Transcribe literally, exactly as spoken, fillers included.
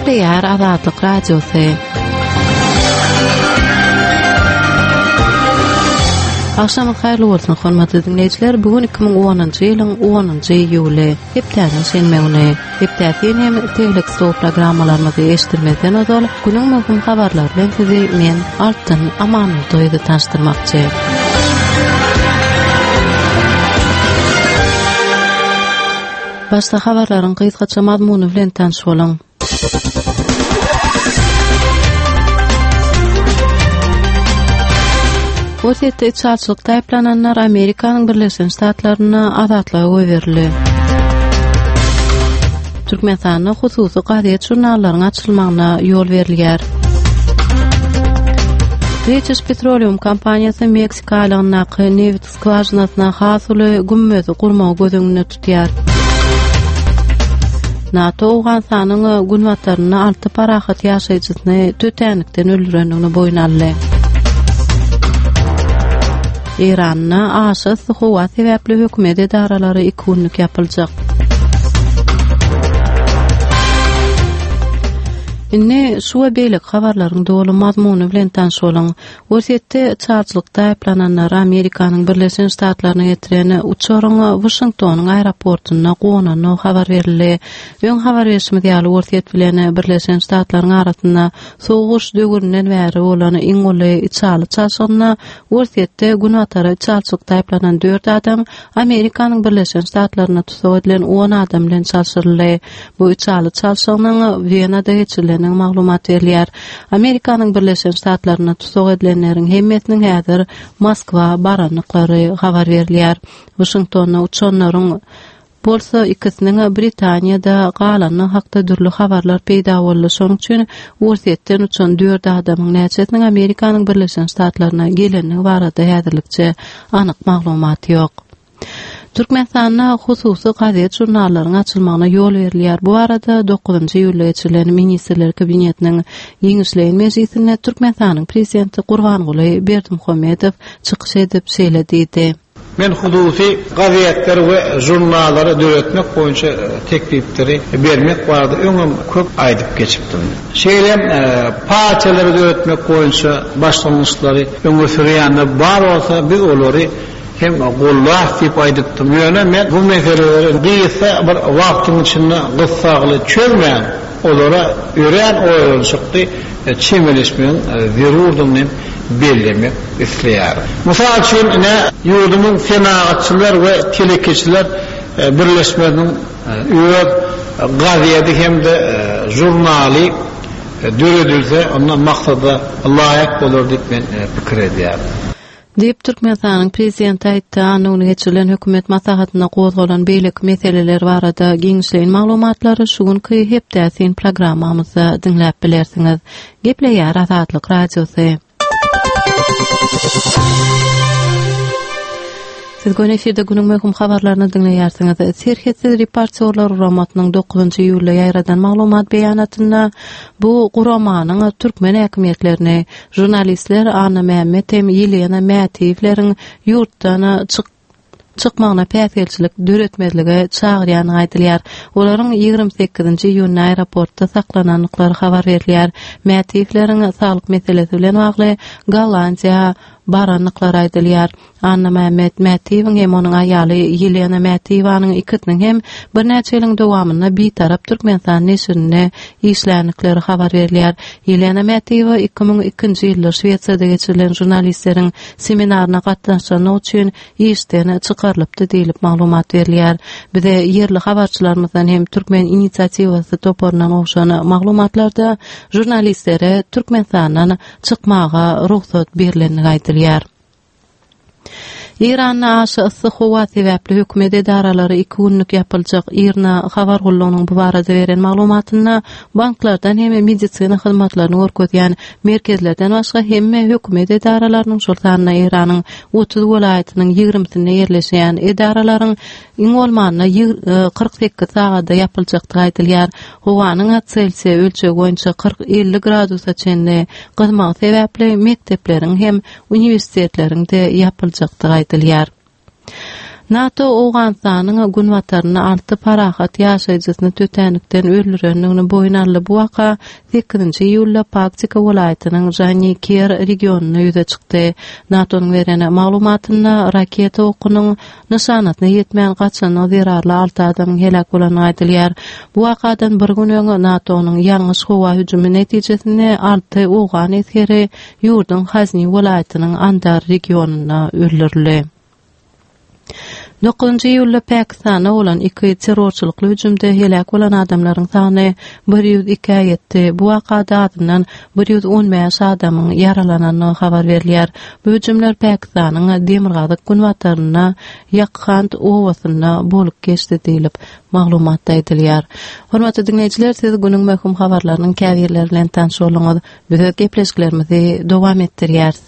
Gepleýär Azatlyk Radiosy. Agşamyňyz haýyrly bolsun, hormatly diňleýjiler. Bu gün iki müň onunjy ýylyň onunjy iýuly, hepdäniň şenbe güni. Hepdäsin hem Tegelek stol programmalarymyzy eşitdirmezden ozal, günüň möhüm habarlary bilen sizi men, Altyn Amanmurdyýewa tanyşdyrmakçy. Başda habarlaryň gysgaça mazmuny bilen tanyş boluň. Orsýetde içalyçylykda aýyplananlar Amerikanyň Birleşen Ştatlarynda azatlyga goýberildi. Türkmenistanda hususy gazet-žurnallaryň açylmagyna ýol berilýär. British Petroleum kompaniýasy Meksika aýlagyndaky nebit skwažinasyna has uly gümmezi gurmagy göz öňünde tutýar. NATO Owganystanyň günbatarynda alty parahat ýaşaýjysyny tötänlikden öldürendigini boýun aldy. Eýranda aşa yssy howa sebäpli hökümet edaralary iki günlük ýapyljak. Indi şu we beýleki habarlaryň doly mazmuny bilen tanyş boluň. Orsýetde içalyçylykda aýyplananlary Amerikanyň Birleşen Ştatlaryna getiren uçaryň Waşingtonyň aeroportunda gonandygy habar berildi. Öň habar berşimiz ýaly, Orsýet bilen Birleşen Ştatlaryň arasynda Sowuk uruş döwründen bäri bolan iň uly içaly çalşygynda Orsýetde Günbatara içalyçylykda aýyplanan dört adam Amerikanyň Birleşen Ştatlarynda tussag edilen on adam bilen çalşyryldy. Bu içaly çalşygynyň Wenada geçirilendigi maglumat berilýär. Amerikanyň Birleşen Ştatlarynda tussag edilenleriň hemmesiniň häzir Moskwa barandyklary habar berilýär. Waşingtonda uçanlaryň bolsa ikisiniň Britaniýada galandygy hakda dürli habarlar peýda boldy. Şonuň üçin Orsýetden uçan dört adamyň näçesiniň Amerikanyň Birleşen Ştatlaryna gelendigi barada häzirlikçe anyk maglumat ýok. Türkmenistanda hususy gazet-žurnallaryň açylmagyna ýol berilýär. Bu barada dokuzynjy iýulda geçirilen Ministrler Kabinetiniň giňişleýin mejlisinde Türkmenistanyň Prezidenti Gurbanguly Berdimuhamedow çykyş edip, şeýle diýdi. Men hususy gazetleri we žurnallary döretmek boýunça teklipleri bermek barada öňem köp aýdyp geçipdim. Şeýle hem partiýalary döretmek boýunça başlangyçlary öňe sürýänler bar bolsa, biz olary hem gollarys diýip aýdypdym. Ýöne men bu meseleleri gysga bir wagtyň içinde gyssagly çözmän, olara örän oýlanyşykly çemeleşmegiň zerurdygyny hem bellemek isleýärin. Mysal üçin, ine, ýurdumyň Senagatçylar we telekeçiler birleşmesiniň öz gazeti hem-de žurnaly döredilse, onda maksada laýyk bolar diýip men pikir edýärin. Diýip, Türkmenistanyň Prezidenti aýtdy. Anna güni geçirilen hökümet maslahatynda gozgalan beýleki meseleler barada giňişleýin maglumatlary şu günki Hepdä syn programmamyzda diňläp bilersiňiz. Gepleýär Azatlyk Radiosy. Siz göni efirde günüň möhüm habarlaryny diňleýärsiňiz. Serhetsiz reportýorlar guramasynyň dokuzynjy iýulda ýaýradan maglumat beýanatynda bu guramanyň türkmen häkimiýetlerini žurnalistler Annamämmet hem Ýelena Mätiýewleriň ýurtdan çykmagyna päsgelçilik döretmezlige çagyrýandygy aýdylýar. Olaryň ýigrimi sekizinji iýunda aeroportda saklanandyklary habar berilýär. Mätiýewleriň saglyk meselesi bilen bagly Gollandiýa barandyklary aýdylýar. Annamämmet Mätiýewiň hem onuň aýaly Ýelena Mätiýewanyň ikisiniň hem birnäçe ýylyň dowamynda Bitarap Türkmenistan neşirinde işländikleri habar berilýär. Ýelena Mätiýewa iki müň ikinji ýylda Şwesiýada geçirilen žurnalistleriň seminaryna gatnaşanlygy üçin işden çykarylypdy diýlip maglumat berilýär. Bize ýerli habarçylarymyzdan hem Türkmen inisiatiwasy toparyndan gowşan maglumatlarda žurnalistlere Türkmenistandan çykmaga rugsat berlendigi aýdylýar. Eýranda aşa yssy howa sebäpli hökümet edaralary iki günlük ýapyljak. IRNA habar gullugynyň bu barada beren maglumatynda banklardan hem medisina hyzmatlaryny görkezýän merkezlerden başga hemme hökümet edaralarynyň, şol sanda Eýranyň otuz welaýatynyň ýigrimisinde ýerleşýän edaralaryň iň bolmanda kyrk sekiz sagada ýapyljakdygy aýdylýar. Howanyň Selsiýa ölçegi boýunça kyrk-elli gradusa çenli gyzmagy sebäpli mekdepleriň hem uniwersitetleriň-de ýapyljakdygy aýdylýar. NATO Owganystanyň günbatarynda alty parahat ýaşaýjysyny tötänlikden öldürendigini boýun aldy. Bu waka sekizinji iýulda Paktika welaýatynyň Janiker regionynda ýüze çykdy. NATO-nyň beren maglumatynda raketa okunyň nyşanasyna ýetmän gaçandygy zerarly alty adamyň heläk bolandygy aýdylýar. Bu wakadan bir gün öň NATO-nyň ýalňyş howa hüjümi netijesinde alty owgan esgeri ýurduň Hazni welaýatynyň Andar regionynda öldürildi. Dokuzynjy iýulda Pakistanda bolan iki terrorçylykly hüjümde heläk bolan adamlaryň sany bir ýüz ikä ýetdi. Bu wakada azyndan bir ýüz on bäş adamyň ýaralanandygy habar berilýär. Bu hüjümler Pakistanyň demirgazyk günbatarynda Ýakhand obasynda bolup geçdi diýlip maglumatda aýdylýar. Hormatly diňleýjiler, siz günüň möhüm habarlarynyň käbirleri bilen tanyş bolduňyz. Biz öz gepleşiklerimizi dowam etdirýäris.